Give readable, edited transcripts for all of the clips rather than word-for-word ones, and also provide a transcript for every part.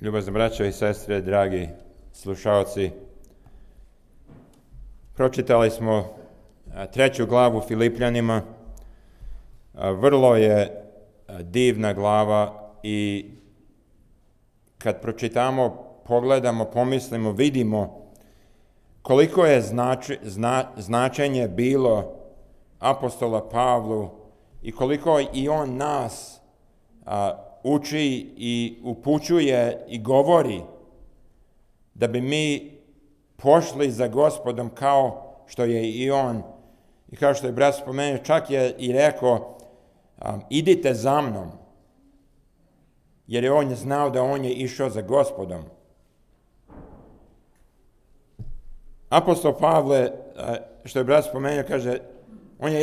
Ljubazne braćo i sestre, dragi slušaoci, pročitali smo 3. glavu Filipljanima. Vrlo je divna glava i kad pročitamo, pogledamo, pomislimo, vidimo koliko je značenje bilo apostola Pavlu i koliko i on nas uči i upućuje i govori da bi mi pošli za Gospodom kao što je i on. I kao što je brat spomenuo, čak je i rekao, idite za mnom, jer je on znao da on je išao za Gospodom. Apostol Pavle, što je brat spomenuo, kaže, on je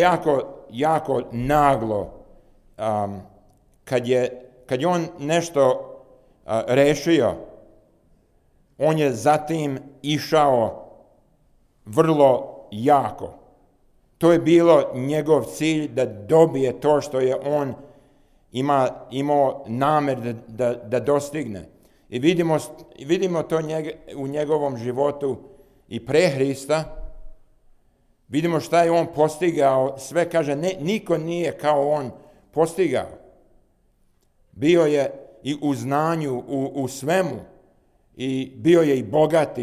jako naglo, kad je on nešto rešio, on je zatim išao vrlo jako. To je bilo njegov cilj da dobije to što je on imao namer da dostigne. I vidimo to u njegovom životu i pre Hrista. Vidimo šta je on postigao. Sve kaže, niko nije kao on postigao. Bio je i u znanju, u svemu. I bio je i bogati.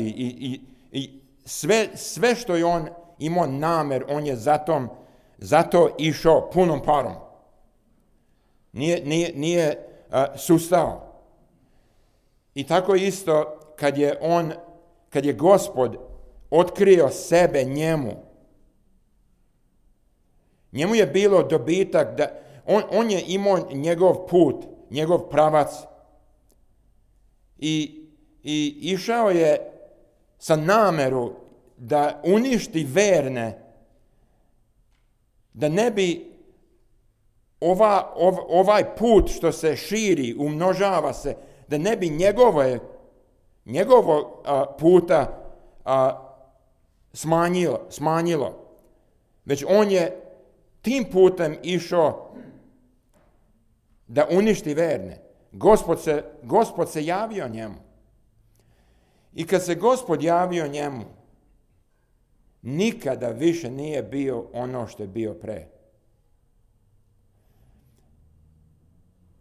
I sve što je on imao namer, on je zato išao punom parom. Nije sustao. I tako isto kad je Gospod otkrio sebe njemu je bilo dobitak da on je imao njegov put, njegov pravac i išao je sa nameru da uništi verne, da ne bi ovaj put što se širi, umnožava se, da ne bi njegovo puta smanjilo. Već on je tim putem išao da uništi verne. Gospod se javio njemu. I kad se Gospod javio njemu, nikada više nije bio ono što je bio pre.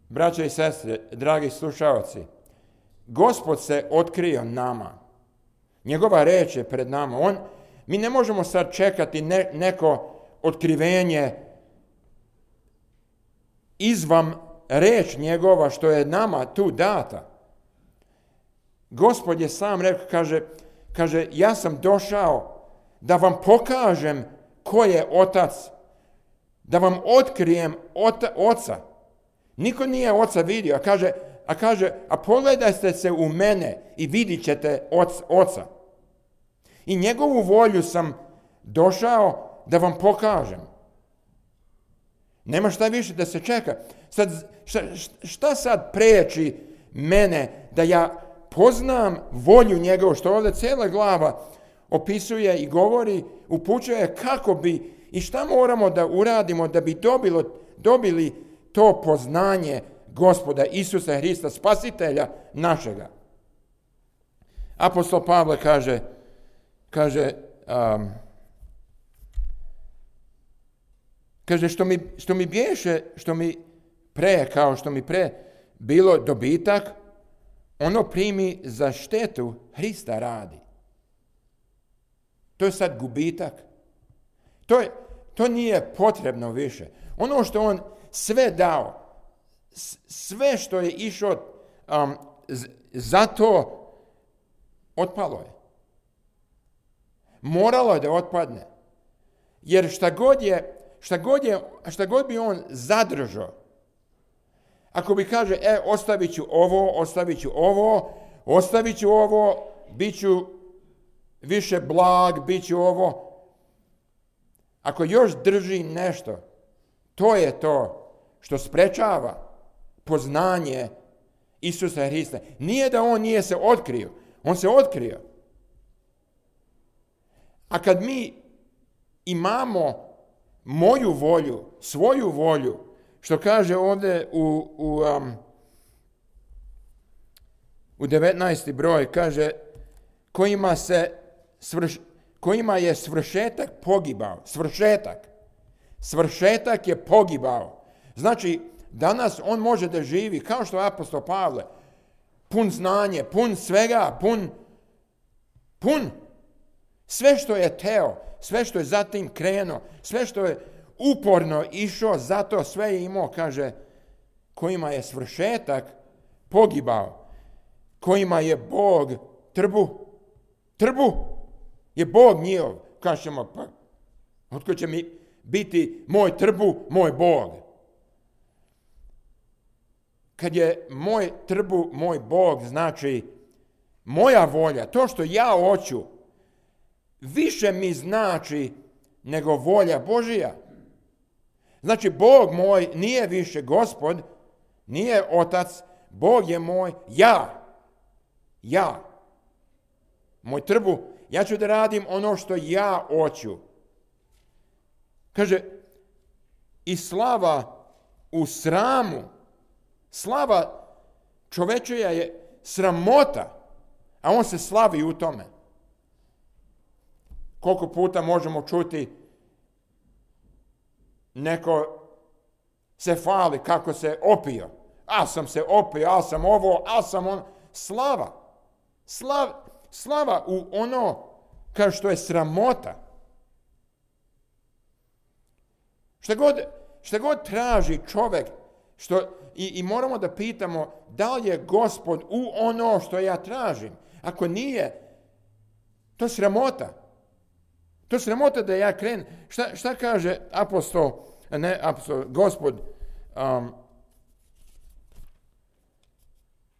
Braćo i sestre, dragi slušaoci, Gospod se otkrio nama. Njegova reč je pred nama. Mi ne možemo sad čekati neko otkrivenje izvan reč njegova što je nama tu data. Gospod je sam rekao, kaže, ja sam došao da vam pokažem ko je Otac, da vam otkrijem Oca. Niko nije Oca vidio, a kaže, pogledajte se u mene i vidit ćete Oca. I njegovu volju sam došao da vam pokažem. Nema šta više da se čeka. Šta sad preči mene da ja poznam volju njegovu, što ovdje cijela glava opisuje i govori, upućuje kako bi i šta moramo da uradimo da bi dobili to poznanje Gospoda Isusa Hrista, Spasitelja našega. Apostol Pavle kaže što mi bješe, što mi pre bilo dobitak, ono primi za štetu Hrista radi. To je sad gubitak. To nije potrebno više. Ono što on sve dao, sve što je išao za to, otpalo je. Moralo je da otpadne. Jer šta god bi on zadržao, ako bi kaže, ostavit ću ovo, bit ću više blag, bit ću ovo. Ako još drži nešto, to je to što sprečava poznanje Isusa Hrista. Nije da on nije se otkrio, on se otkrio. A kad mi imamo moju volju, svoju volju, što kaže ovdje u 19. broj kaže kojima je svršetak pogibao. Svršetak je pogibao. Znači, danas on može da živi kao što je apostol Pavle, pun znanje, pun svega, pun. Sve što je teo, sve što je zatim krenuo, sve što je uporno išao, zato sve je imao, kaže, kojima je svršetak pogibao, kojima je Bog trbu je Bog njihov. Kažemo, pa, otko će mi biti moj trbu, moj Bog? Kad je moj trbu, moj Bog, znači moja volja, to što ja hoću, više mi znači nego volja Božija. Znači, Bog moj nije više Gospod, nije Otac, Bog je moj ja. Moj trbu, ja ću da radim ono što ja hoću. Kaže, i slava u sramu. Slava čovečija je sramota, a on se slavi u tome. Koliko puta možemo čuti neko se hvali kako se opio. Sam se opio, sam ovo, sam on. Slava u ono kao što je sramota. Šta god traži čovjek, i moramo da pitamo da li je Gospod u ono što ja tražim. Ako nije, to je sramota. To je sramota da ja krenem. Šta kaže Gospod?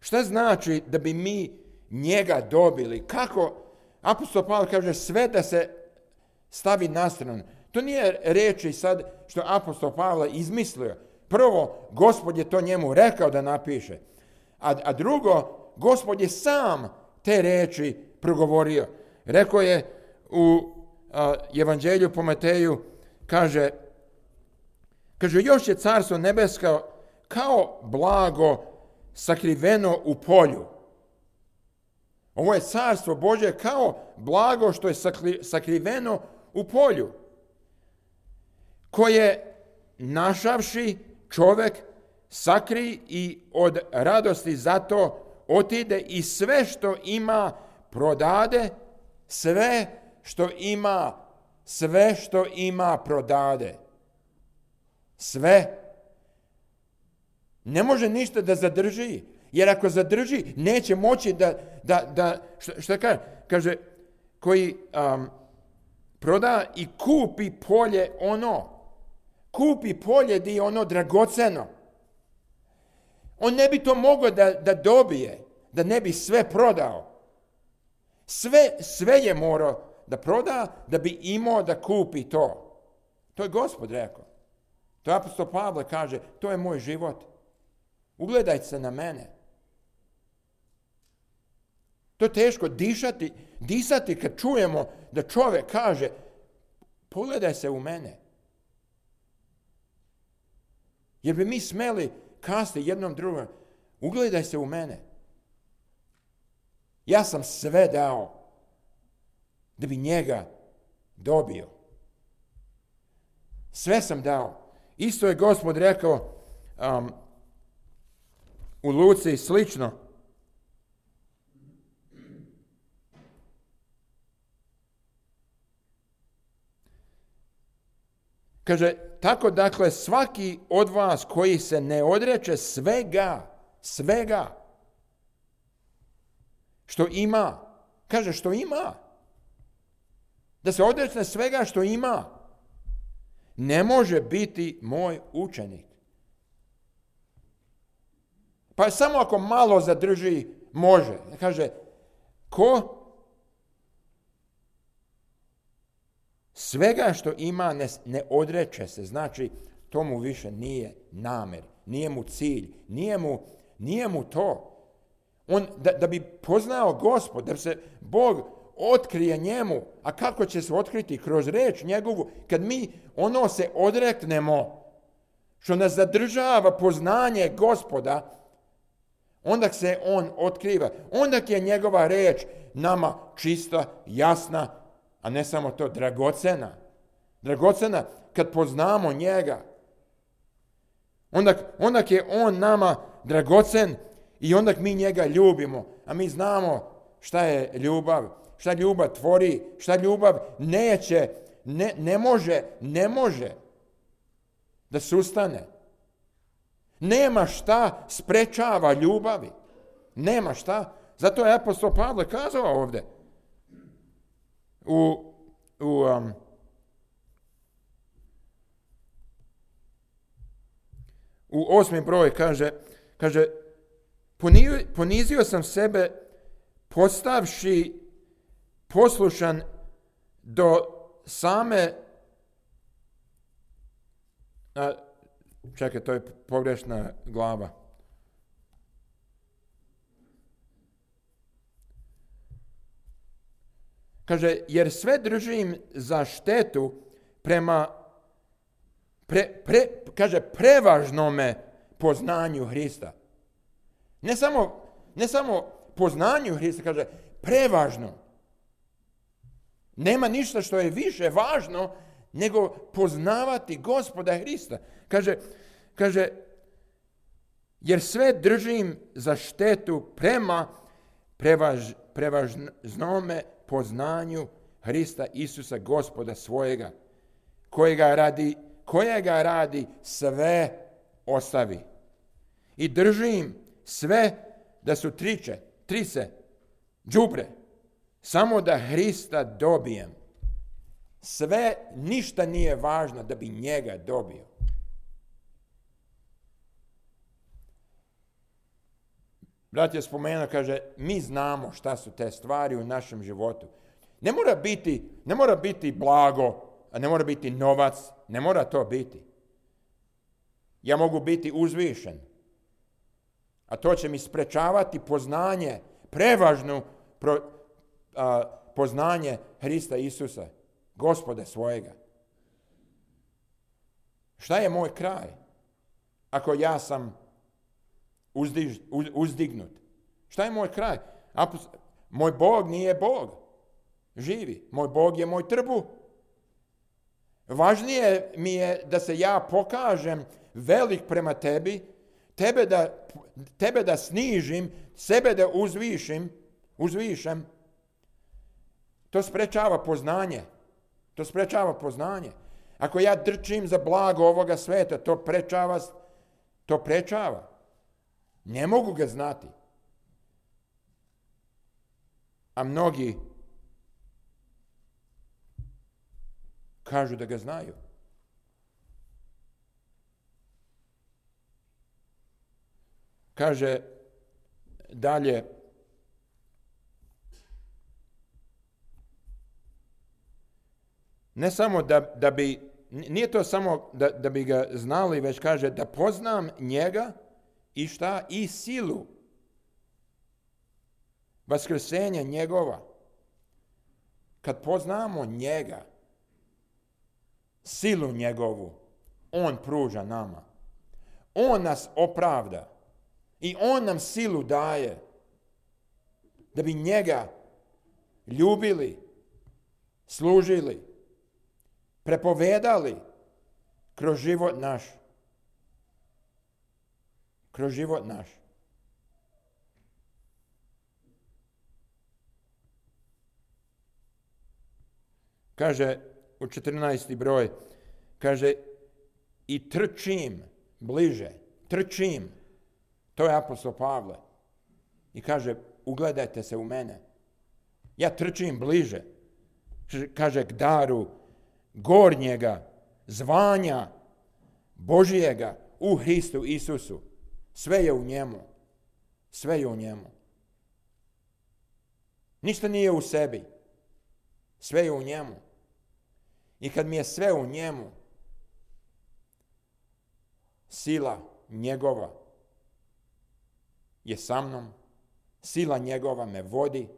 Šta znači da bi mi njega dobili? Kako? Apostol Pavle kaže sve da se stavi na stranu. To nije reči sad što apostol Pavle izmislio. Prvo, Gospod je to njemu rekao da napiše. A drugo, Gospod je sam te reči progovorio. Rekao je u Evanđelju po Mateju, kaže još je carstvo nebesko kao blago sakriveno u polju. Ovo je carstvo Božje kao blago što je sakriveno u polju, koje našavši čovjek sakri i od radosti zato otide i sve što ima prodade, sve što ima prodade. Sve. Ne može ništa da zadrži, jer ako zadrži, neće moći da šta kaže? Kaže, koji proda i kupi polje kupi polje di je ono dragoceno. On ne bi to mogao da dobije, da ne bi sve prodao. Sve je morao da proda, da bi imao da kupi to. To je Gospod rekao. To apostol Pavle kaže, to je moj život. Ugledajte se na mene. To je teško disati kad čujemo da čovjek kaže, pogledaj se u mene. Jer bi mi smeli kasti jednom drugom, ugledaj se u mene. Ja sam sve dao da bi njega dobio. Sve sam dao. Isto je Gospod rekao u Luci slično. Kaže, tako dakle svaki od vas koji se ne odreče svega što ima, kaže što ima, da se odreče svega što ima, ne može biti moj učenik. Pa samo ako malo zadrži, može. Kaže, ko svega što ima ne odreče se, znači to mu više nije namer, nije mu cilj, nije mu to. On, da bi poznao Gospod, da se Bog otkrije njemu, a kako će se otkriti? Kroz reč njegovu, kad mi ono se odreknemo, što nas zadržava poznanje Gospoda, onda se on otkriva, onda je njegova reč nama čista, jasna, a ne samo to, dragocena. Dragocena kad poznamo njega. Onda je on nama dragocen i onda mi njega ljubimo. A mi znamo šta je ljubav, šta ljubav tvori, šta ljubav ne može da sustane. Nema šta sprečava ljubavi. Nema šta. Zato je apostol Pavle kazao ovdje u 8. broj kaže ponizio sam sebe postavši poslušan do same čekaj, to je pogrešna glava. Kaže, jer sve držim za štetu prema prevažnome poznanju Hrista. Ne samo poznanju Hrista, kaže prevažno. Nema ništa što je više važno nego poznavati Gospoda Hrista. Kaže, jer sve držim za štetu prema prevažnome poznanju Hrista Isusa Gospoda svojega, kojega radi sve ostavi. I držim sve da su trice, đubre, samo da Hrista dobijem. Sve, ništa nije važno da bi njega dobio. Brat je spomenuo, kaže, mi znamo šta su te stvari u našem životu. Ne mora biti blago, a ne mora biti novac, ne mora to biti. Ja mogu biti uzvišen, a to će mi sprečavati poznanje, prevažno poznanje Hrista Isusa, Gospoda svojega. Šta je moj kraj? Ako ja sam uzdignut. Šta je moj kraj? Moj Bog nije Bog. Živi. Moj Bog je moj trbuh. Važnije mi je da se ja pokažem velik prema tebi, tebe da snižim, sebe da uzvišem. To sprečava poznanje. Ako ja trčim za blago ovoga sveta, to prečava. Ne mogu ga znati. A mnogi kažu da ga znaju. Kaže dalje, ne samo da bi, nije to samo da bi ga znali, već kaže da poznam njega i šta? I silu vaskrsenja njegova. Kad poznamo njega, silu njegovu, on pruža nama. On nas opravda i on nam silu daje da bi njega ljubili, služili, prepovedali kroz život naš. Kaže u 14. broj, kaže i trčim bliže, to je apostol Pavle. I kaže, ugledajte se u mene. Ja trčim bliže, kaže k daru gornjega zvanja Božijega u Hristu Isusu. Sve je u njemu. Ništa nije u sebi. Sve je u njemu. I kad mi je sve u njemu, sila njegova je sa mnom, sila njegova me vodi,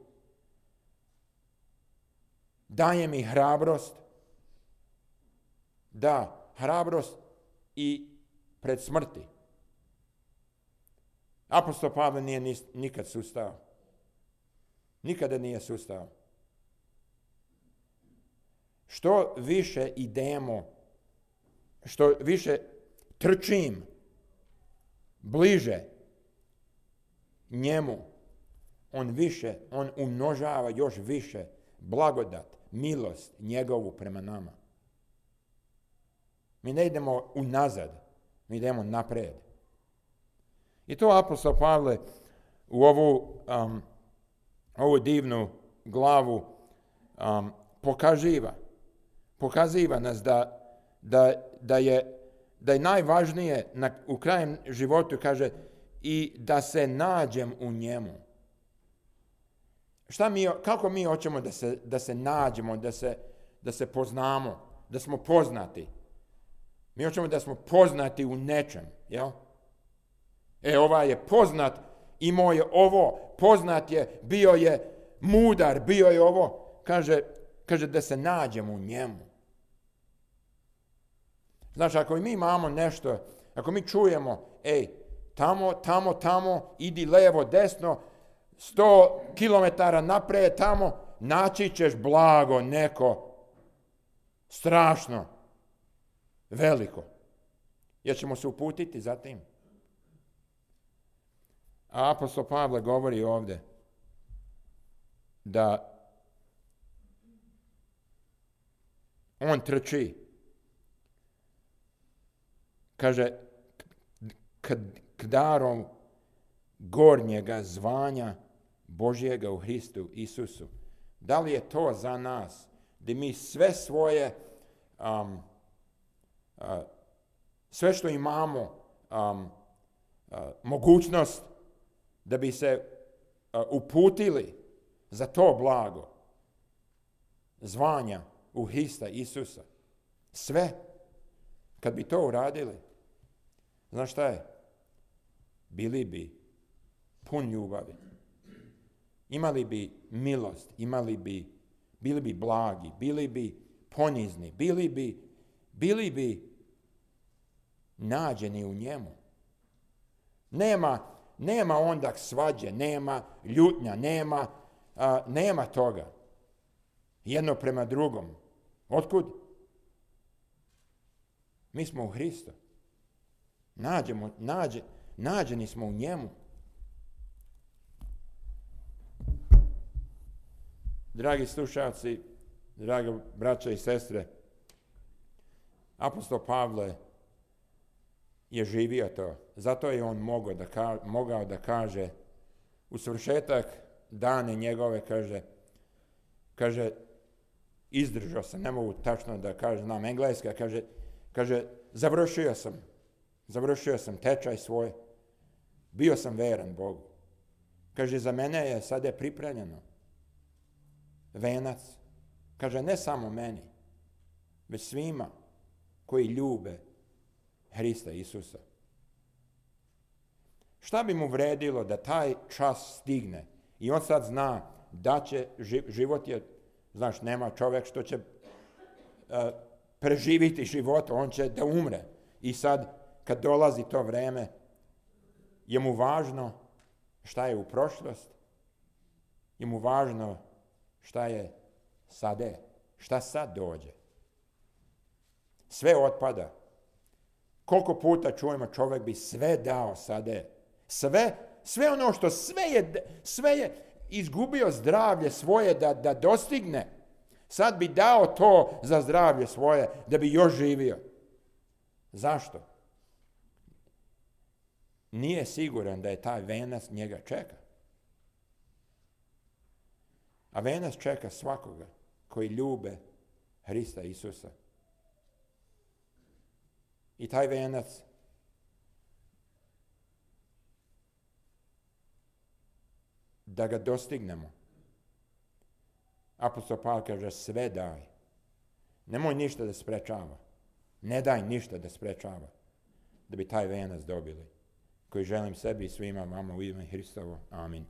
daje mi hrabrost, hrabrost i pred smrti. Apostol Pavle nije nikad sustao. Nikada nije sustao. Što više idemo, što više trčim bliže njemu, on umnožava još više blagodat, milost njegovu prema nama. Mi ne idemo unazad, mi idemo napred. I to apostol Pavle u ovu divnu glavu pokaziva nas da je najvažnije u krajem životu, kaže, i da se nađem u njemu. Kako mi hoćemo da se nađemo, da se poznamo, da smo poznati? Mi hoćemo da smo poznati u nečem, jel? Ovaj je poznat, imao je ovo, poznat je, bio je mudar, bio je ovo. Kaže da se nađemo u njemu. Znači, ako mi imamo nešto, ako mi čujemo, tamo, idi levo, desno, 100 kilometara napred, tamo, naći ćeš blago neko, strašno, veliko. Jer ćemo se uputiti za tim. A apostol Pavle govori ovdje da on trči. Kaže, k darom gornjega zvanja Božjega u Hristu Isusu. Da li je to za nas? Da mi sve svoje, sve što imamo, mogućnost da bi se uputili za to blago zvanja u Hrista Isusa. Sve. Kad bi to uradili, znaš šta je? Bili bi pun ljubavi. Imali bi milost, bili bi blagi, bili bi ponizni, bili bi nađeni u njemu. Nema onda svađe, nema ljutnja, nema toga. Jedno prema drugom. Otkud? Mi smo u Hristu. Nađeni smo u njemu. Dragi slušalci, dragi braća i sestre, apostol Pavle je živio to. Zato je on mogao da kaže u svršetak dane njegove, kaže izdržao sam, ne mogu tačno da kažem, znam engleska, kaže završio sam tečaj svoj, bio sam veran Bogu. Kaže, za mene je sada pripremljeno venac. Kaže, ne samo meni, već svima koji ljube Hrista Isusa. Šta bi mu vredilo da taj čas stigne? I on sad zna da će, život je, znaš, nema čovjek što će preživiti život, on će da umre. I sad, kad dolazi to vreme, je mu važno šta je u prošlost, je mu važno šta je sade, šta sad dođe. Sve otpada. Koliko puta čujemo, čovjek bi sve dao sade. Sve ono što sve je izgubio zdravlje svoje da dostigne. Sad bi dao to za zdravlje svoje da bi još živio. Zašto? Nije siguran da je taj venac njega čeka. A venac čeka svakoga koji ljube Hrista Isusa. I taj venac da ga dostignemo. Apostol Pavle kaže, sve daj. Nemoj ništa da sprečava. Ne daj ništa da sprečava da bi taj venac dobili. Koji želim sebi i svima vama u ime Hristovo. Amin.